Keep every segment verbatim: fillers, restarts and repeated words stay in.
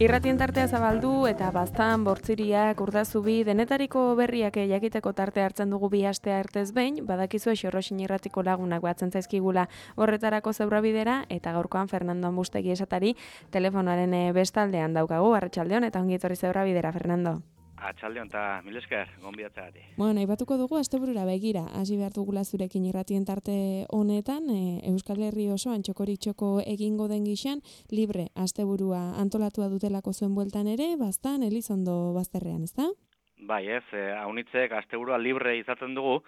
Irratien tartea zabaldu eta baztan, bortziriak, urdazubi, denetariko berriak jakiteko tartea hartzen dugu bi astea ertez behin, badakizu Xorroxin irratiko lagunak batzen zaizkigula horretarako zeurabidera, eta gaurkoan Fernando Ambustegi esatari telefonaren bestaldean daukagu, arratsaldeon eta ongi etorri zeurabidera, Fernando. Atxaldeon eta mil esker, gonbidatzea. Bueno, aipatuko dugu asteburura begira, hasi behar dugula zurekin irratien tarte honetan, e, Euskal Herri osoan txokoritxoko egingo den gixan, libre asteburua antolatua dutelako zuen bueltan ere, baztan Elizondo bazterrean, ezta? Bai, ez, eh, haunitzek asteburua libre izaten dugu,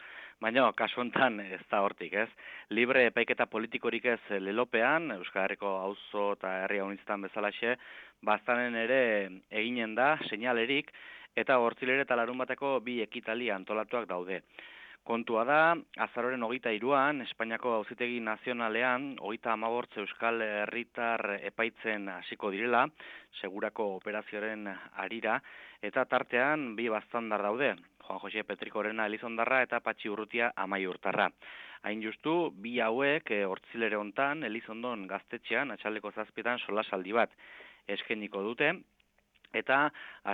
baina kasu honetan ez da hortik, ez? Libre epaiketa politikorik ez lelopean, Euskal Herriko auzo eta herri haunitzetan bezalaxe, baztanen ere eginen da, seinalerik, eta hortzilere eta larun bateko bi ekitali antolatuak daude. Kontua da, azaroren hogeita hiruan, Espainiako Auzitegi Nazionalean, hogeita hamabortz Euskal Herritar epaitzen hasiko direla, segurako operazioaren harira, eta tartean bi baztandar daude, Juan Jose Petrikorena Elizondarra eta Patxi Urrutia Amaiurtarra. Hain justu, bi hauek hortzilere hontan, Elizondon gaztetxean, atxaldeko zazpietan solasaldi bat eskeniko dute, eta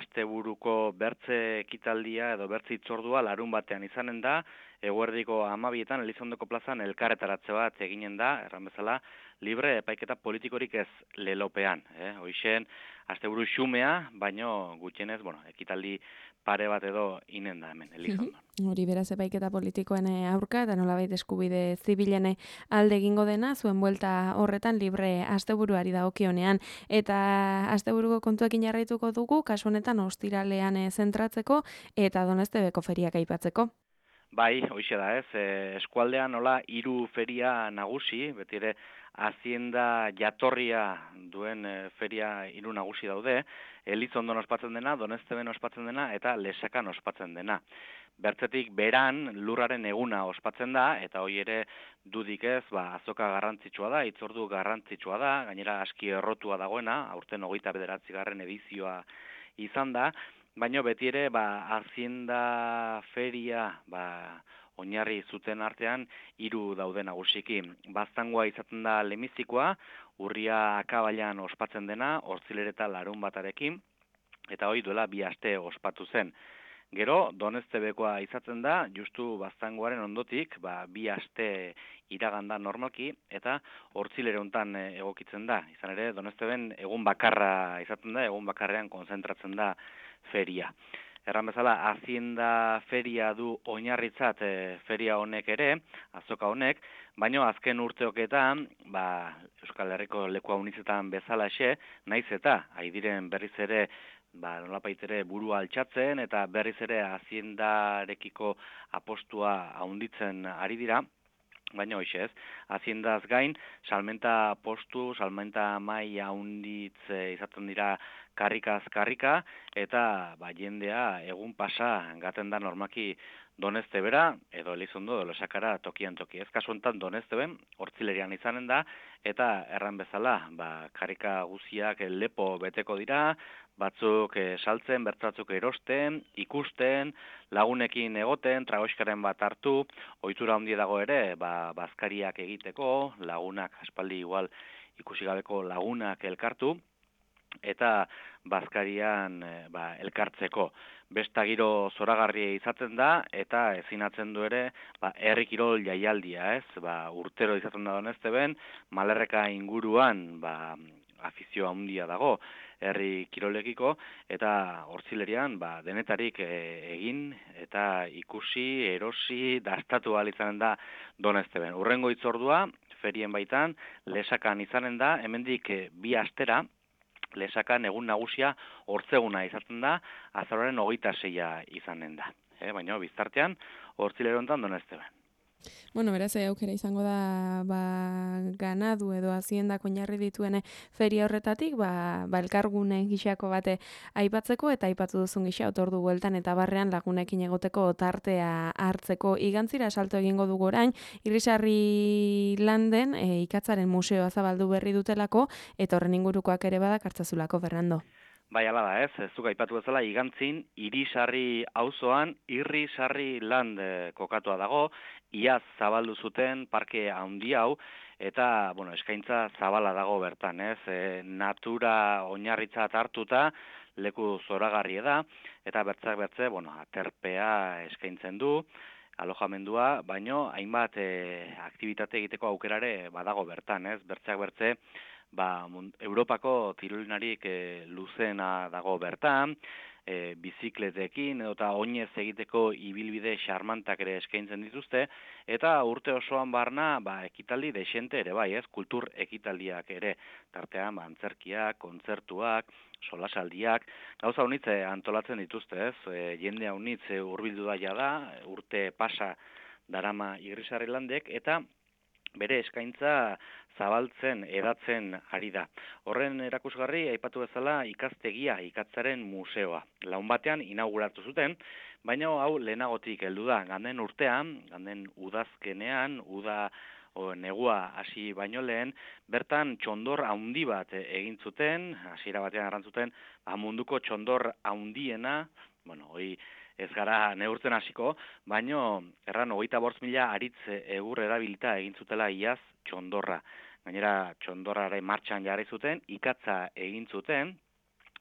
asteburuko bertze ekitaldia edo bertze hitzordua larun batean izanen da, eguerdiko hamabietan Elizondoko plazan elkarretaratze bat eginen da, erran bezala, libre epaiketa politikorik ez lelopean. Eh? Hoixen, asteburu xumea, baino gutxienez, bueno, ekitaldi pare bat edo inen da hemen, Elizondon. Hori beraz epaiketa politikoen aurka eta nolabait eskubide zibilen alde egingo dena, zuen buelta horretan libre asteburuari dagokionean. Eta asteburuko kontuekin jarraituko dugu, kasu honetan ostiralean zentratzeko eta Doneztebeko feriak aipatzeko. Bai, hoixe da ez, e, eskualdean nola hiru feria nagusi, beti ere Hazienda jatorria duen e, feria hiru nagusi daude, Elizondon ospatzen dena, Donezteben ospatzen dena eta Lesakan ospatzen dena. Bertzetik beran lurraren eguna ospatzen da, eta hoi ere dudik ez, ba, azoka garrantzitsua da, hitzordu garrantzitsua da, gainera aski errotua dagoena, aurten hogeita bederatzigarren edizioa izan da, baina beti ere, ba, Hazienda feria, ba, oinarri zuten artean, hiru daude nagusiki. Baztangoa izaten da lemizikoa, urria akabailan ospatzen dena, hortzilere eta larun batarekin, eta hoi duela bi aste ospatu zen. Gero, Doneztebekoa izaten da, justu baztangoaren ondotik, ba, bi aste iraganda normalki, eta hortzilere hontan egokitzen da. Izan ere, Donezteben egun bakarra izaten da, egun bakarrean konzentratzen da feria. Erran bezala, Hazienda feria du oinarritzat e, feria honek ere, azoka honek, baino azken urteoketan, ba, Euskal Herriko leku haunitzetan bezalaxe, naiz eta, haidiren berriz ere, ba, nolapait ere burua altxatzen, eta berriz ere Haziendarekiko apostua haunditzen ari dira, baina hoxe ez, Haziendaz gain, salmenta postu, salmenta mai haunditz izaten dira karrikaz karrika, eta ba, jendea egun pasa gaten da normaki Doneztebera, edo Elizondo, edo Lesakara tokian toki. Ez kasu honetan Donezteben, hortzilerian izanen da, eta erran bezala, ba, karrika guziak lepo beteko dira, batzuk e, saltzen, bertatzuk erosten, ikusten, lagunekin egoten, tragoiskaren bat hartu, ohitura handia dago ere, ba, bazkariak egiteko, lagunak, aspaldi igual ikusi gabeko lagunak elkartu, eta bazkarian e, ba, elkartzeko. Besta giro zoragarria izaten da, eta ezinatzen du ere, ba, herri kirol jaialdia, ez? Ba, urtero izaten da Donezteben, Malerreka inguruan, ba, afizio handia dago herri kirolekiko, eta hortzilerian ba, denetarik e, egin eta ikusi, erosi, dastatu ahal izanen da Donezteben. Urrengo hitzordua, ferien baitan, Lesakan izanen da, hemendik e, bi astera, Lesakan egun nagusia hortzeguna izaten da, azaroaren hogeita seia izanen da. E, baina biztartean, hortzilero hontan Donezteben. Bueno, beraz, aukera izango da ba, ganadu edo haziendak oinarri dituen feria horretatik, ba, ba elkargune gixako bate aipatzeko eta aipatu duzun gisa otordu bueltan eta barrean lagunekin egoteko tartea hartzeko. Igantzira salto egingo dugu orain, Irrisarri landen e, ikatzaren museoa zabaldu berri dutelako eta horren ingurukoak ere badak hartzazulako, Fernando. Bai, ala da, ez, zuk aipatu bezala, igantzin, Irisarri auzoan Irrisarri land e, kokatua dago, iaz zabaldu zuten parke handi hau, eta, bueno, eskaintza zabala dago bertan, ez? E, natura oinarritzat hartuta, leku zoragarria da, eta bertzak bertze, bueno, aterpea eskaintzen du, alojamendua, baino hainbat e, aktibitate egiteko aukerare badago bertan, ez? Bertzeak bertze, ba, Europako tirolinarik e, luzena dago bertan, e, bizikletekin eta oinez egiteko ibilbide xarmantak ere eskaintzen dituzte, eta urte osoan barna ba, ekitaldi desente ere bai, ez? Kultur ekitaldiak ere, tartean ba, antzerkiak, kontzertuak, solasaldiak, gauza honitze antolatzen dituzte, ez? E, jende honitz hurbildu da jada, urte pasa darama Irrisarri landek, eta bere eskaintza zabaltzen, edatzen ari da. Horren erakusgarri, aipatu bezala, ikastegia, ikatzaren museoa. Laun batean inauguratu zuten, baina hau lehenagotik heldu da. Ganden urtean, ganden udazkenean, uda o, negua hasi baino lehen, bertan txondor haundi bat egin zuten, hasiera batean arrantzuten, munduko txondor haundiena, bueno, hori ez gara neurtzen hasiko, baino erran hogeita bost mila aritz egur erabilita egin zutela iaz txondorra. Gainera txondorraren martxan jarri zuten, ikatza egin zuten,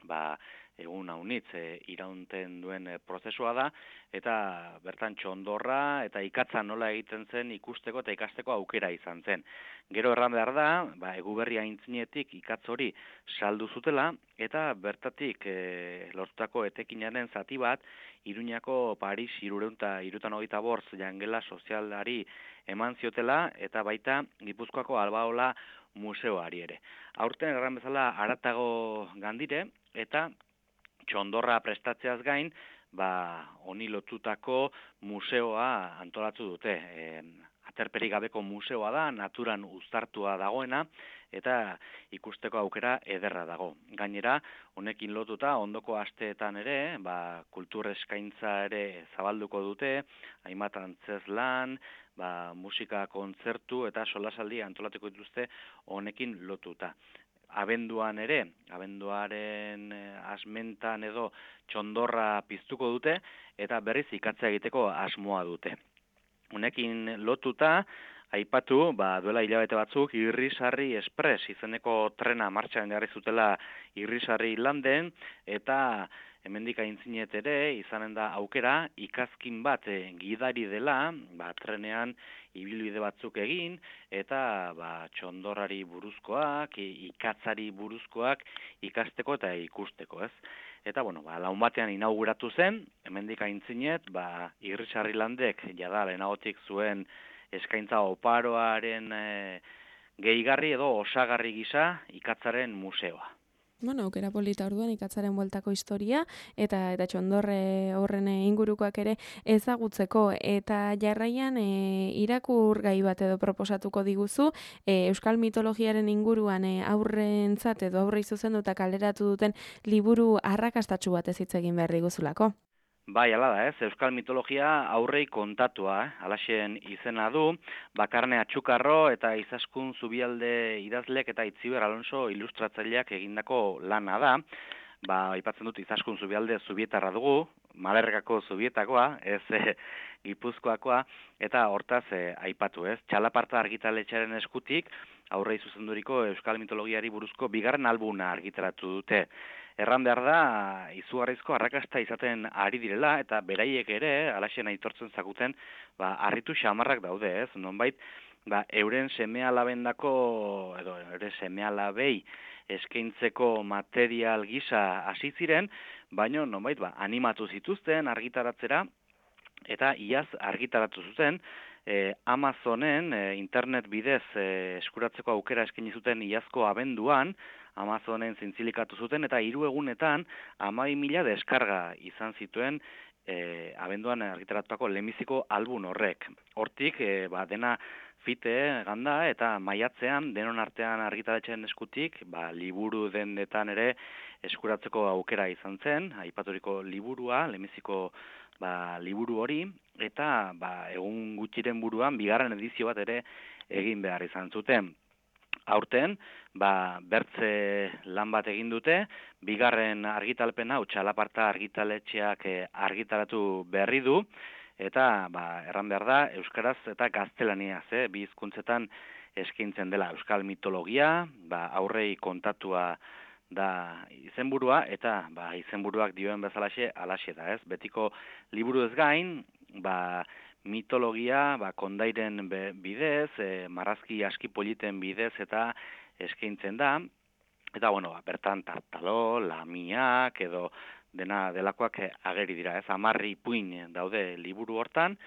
ba, egun haunitz e, iraunten duen e, prozesua da, eta bertan txondorra eta ikatza nola egiten zen ikusteko eta ikasteko aukera izan zen. Gero erran behar da, ba, eguberri aintzinetik ikatz hori saldu zutela, eta bertatik e, lortutako etekinaren zati bat, Iruñako Paris irureunta irutan hogeita bortz jangela sozialari eman ziotela, eta baita Gipuzkoako Albaola museoari ere. Aurten erran bezala haratago gandire, eta txondorra prestatzeaz gain, ba, honi lotutako museoa antolatu dute. E, aterperik gabeko museoa da, naturan uztartua dagoena, eta ikusteko aukera ederra dago. Gainera, honekin lotuta, ondoko asteetan ere, ba, kultur eskaintza ere zabalduko dute, hainbat antzezlan, ba, musika kontzertu eta solasaldi antolatuko dituzte honekin lotuta. Abenduan ere, abenduaren asmentan edo txondorra piztuko dute, eta berriz ikatza egiteko asmoa dute. Honekin lotuta, aipatu, ba, duela hilabete batzuk, Irrisarri Express izeneko trena martxan jarri zutela Irrisarri landen, eta hemendik aintzinet ere, izanen da aukera, ikazkin bat e, gidari dela, ba, trenean ibilbide batzuk egin, eta ba, txondorrari buruzkoak, ikatzari buruzkoak ikasteko eta ikusteko, ez? Eta, bueno, ba, laun batean inauguratu zen, hemendik aintzinet, ba, Irrisarri landek, jada, lehenagotik zuen eskaintza oparoaren e, gehigarri edo osagarri gisa ikatzaren museoa. Bueno, aukera polita orduan ikatzaren bueltako historia eta eta txondorre horren ingurukoak ere ezagutzeko eta jarraian e, irakurgai bat edo proposatuko diguzu e, euskal mitologiaren inguruan e, aurrentzat edo aurrei zuzenduta kaleratu duten liburu arrakastatsu bat ez hitz egin behar diguzulako. Bai, ala da, ez, euskal mitologia aurrei kontatua, eh? Alaxen izena du, Bakarne Atxukarro eta Izaskun Zubialde idazlek eta Itziber Alonso ilustratzaileak egindako lana da. Ba, aipatzen dut Izaskun Zubialde zubietarra dugu, Malergako zubietakoa, ez e, Gipuzkoakoa, eta hortaz e, aipatu, ez. Txalaparta argitaletxearen eskutik, aurrei zuzenduriko euskal mitologiari buruzko bigarren albuna argitaratu dute. Erran behar da, izugarrizko arrakasta izaten ari direla, eta beraiek ere, alaxen aitortzen zakuten, ba, harritu xamarrak daude, ez? Nonbait, ba, euren seme-alabendako, edo euren seme-alabei eskaintzeko material gisa hasi ziren, baino nonbait, ba, animatu zituzten argitaratzera, eta iaz argitaratu zuten, e, Amazonen e, internet bidez e, eskuratzeko aukera eskaini zuten iazko abenduan, Amazonen zintzilikatu zuten, eta hiru egunetan hamabi mila deskarga izan zituen e, abenduan argitaratutako lehenbiziko album horrek. Hortik, e, ba, dena fite ganda eta maiatzean denon artean argitaratzen eskutik, ba, liburu dendetan ere eskuratzeko aukera izan zen, aipaturiko liburua, lehenbiziko ba, liburu hori, eta ba, egun gutxiren buruan bigarren edizio bat ere egin behar izan zuten. Aurten, ba, bertze lan bat egin dute, bigarren argitalpena, hau Txalaparta argitaletxeak argitaratu berri du, eta ba, erran behar da, euskaraz eta gaztelaniaz, eh? Bi hizkuntzetan eskaintzen dela euskal mitologia, ba, aurrei kontatua da izenburua, eta ba, izenburuak dioen bezalaxe alaxe da, ez? Betiko liburu ez gain, ba, mitologia ba, kondairen bidez, e, marrazki aski politen bidez eta eskaintzen da, eta bueno, ba, bertan tartalo, lamiak edo dena delakoak ageri dira, ez? Amarri puin daude liburu hortan,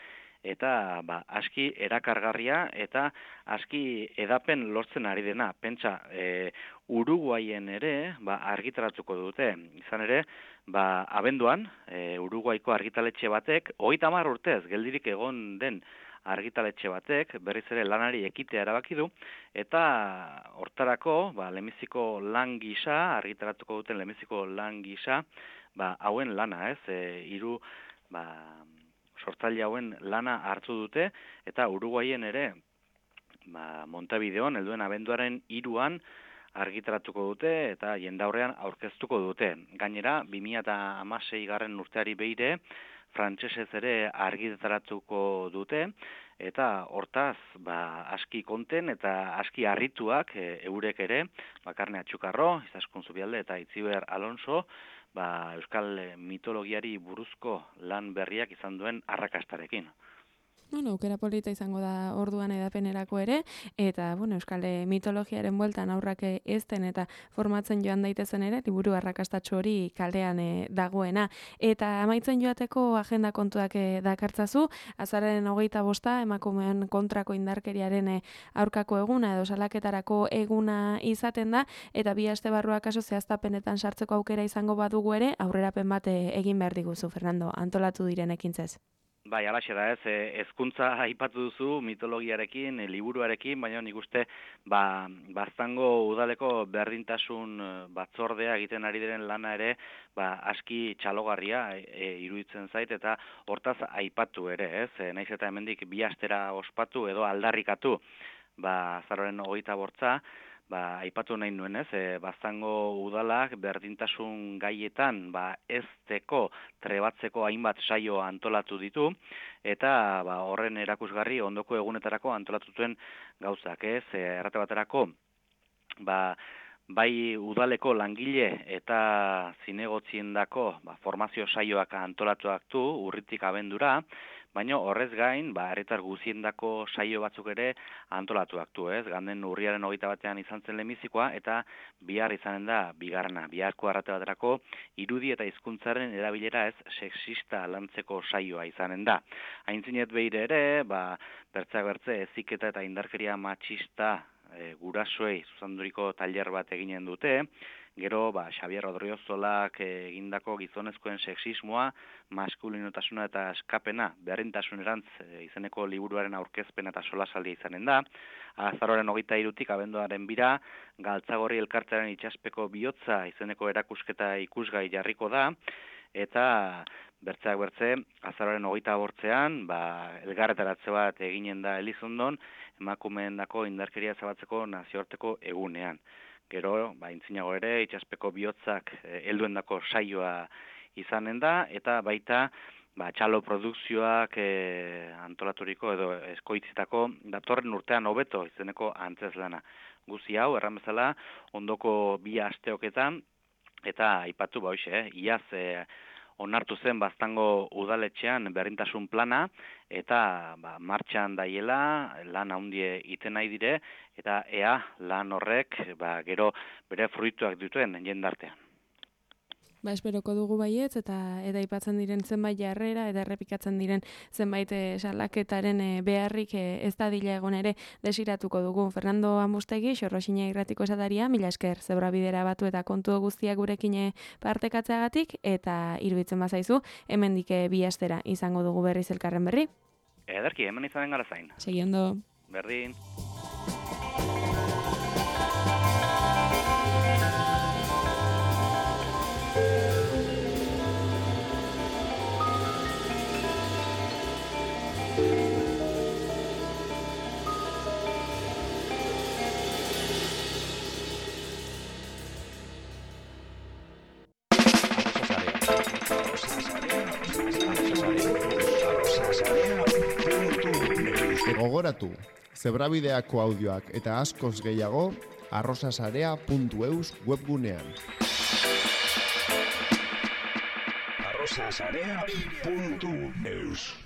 eta ba, aski erakargarria eta aski edapen lortzen ari dena. Pentsa, e, Uruguaien ere ba, argitaratuko dute. Izan ere, ba, abenduan, e, Uruguaiko argitaletxe batek, hogeita hamar urtez, geldirik egon den argitaletxe batek, berriz ere lanari ekitea erabaki du, eta hortarako, ba, lemiziko lan gisa, argitaratuko duten lemiziko lan gisa, ba, hauen lana, ez, e, hiru, ba, sortzaile hauen lana hartu dute, eta Uruguaien ere, ba, Montevideon, helduen abenduaren hiruan argitaratuko dute, eta jendaurrean aurkeztuko dute. Gainera, bi mila hamasei garren urteari beire, frantsesez ere argitaratuko dute, eta hortaz, ba, aski konten eta aski harrituak e, eurek ere, Bakarne Atxukarro, Izaskun Zubialde eta Itziber Alonso, ba, euskal mitologiari buruzko lan berriak izan duen arrakastarekin. Bueno, aukera polita izango da orduan edapenerako ere, eta bueno, euskal mitologiaren bueltan aurrak ezten eta formatzen joan daitezen ere, liburu arrakastatxo hori kalean e, dagoena. Eta amaitzen joateko agenda kontuak e, dakartzazu, azararen hogeita bosta, emakumeen kontrako indarkeriaren e, aurkako eguna edo salaketarako eguna izaten da, eta bi aste barruak kaso zehaztapenetan sartzeko aukera izango badugu ere, aurrerapen bat e, egin behar diguzu, Fernando, antolatu diren ekintzez. Bai, alaxe da ez, hezkuntza aipatu duzu mitologiarekin, liburuarekin, baina nik uste ba, Baztango udaleko berdintasun batzordea egiten ari diren lana ere ba, aski txalogarria e, iruditzen zait eta hortaz aipatu ere, ez? E, naiz eta hemendik bi astera ospatu edo aldarrikatu ba, azaroaren hogeita bortza, ba, aipatu nahi nuen, ez? E, Baztango udalak berdintasun gaietan ba, ezteko, trebatzeko hainbat saio antolatu ditu, eta ba, horren erakusgarri ondoko egunetarako antolatutuen gauzak, ez? E, errate baterako, ba, bai udaleko langile eta zinegotziendako ba, formazio saioak antolatuak du, urritik abendura, baina horrez gain, ba, herritar guziendako saio batzuk ere antolatuak du, ez? Ganden urriaren hogeita batean izan zen lemizikoa, eta bihar izanen da bigarrena, biharko arrate baterako irudi eta hizkuntzaren erabilera ez sexista lantzeko saioa izanen da. Aintzinet behire ere, ba, bertzak bertze heziketa eta indarkeria matxista e, gurasoei zuzanduriko tailer bat eginen dute. Gero, ba, Xabier Rodriozolak egindako gizonezkoen sexismoa, maskulinotasuna eta eskapena, berdintasunerantz e, izeneko liburuaren aurkezpena eta solasaldia izanen da. Azaroaren hogeita hirutik abenduaren bira, Galtzagorri elkartearen itxaspeko bihotza izeneko erakusketa ikusgai jarriko da, eta bertzeak bertze, azaroaren hogeita bortzean, ba, elgarretaratze bat eginen da Elizondon, emakumeendako indarkeria zabatzeko nazioarteko egunean. Gero, ba, intzinago ere, itxaspeko bihotzak helduendako saioa izanen da, eta baita ba, txalo produkzioak e, antolaturiko edo eskoitzitako datorren urtean hobeto izeneko antzeslana. Guzi hau, erran bezala, ondoko bi asteoketan, eta aipatu ba hoxe, eh, iaz e, onartu zen Baztango udaletxean berdintasun plana, eta ba, martxan daiela, lan handie iten nahi dire, eta ea lan horrek ba, gero bere fruituak dituen jendartean. Ba, esperoko dugu baietz, eta eta aipatzen diren zenbait jarrera, eta errepikatzen diren zenbait salaketaren e, beharrik e, ez dadila egon ere desiratuko dugu. Fernando Amustegi, Xorroxina irratiko esataria, mila esker zebra bidera batu eta kontu guztiak gurekin partekatzeagatik, eta iruditzen bazaizu, hemendik bi astera izango dugu berriz elkarren berri. Ederki, hemen izanen gara zain. Segi ondo. Berdin. Gogoratu, zebrabideako audioak eta askoz gehiago arrosasarea puntu eus webgunean. arrosasarea puntu eus